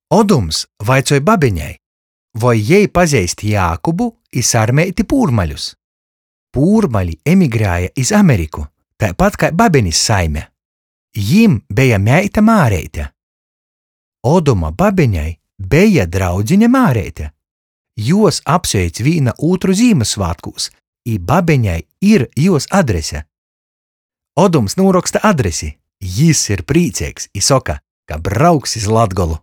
Odums vaicoj babeņai, voi jei pazeist Jākubu i Sarmeiti Pūrmaļus. Pūrmali emigrēja iz Ameriku, taipat kai babenis saime. Jim beja meita Māreite. Oduma babeņai beja draudzine Māreite. Juos apsveic vīna ūtru Zīmyssvātkūs, i babeņai ir juos adrese. Odums nūroksta adresi, jis ir prīceigs i soka, ka brauks iz Latgolu.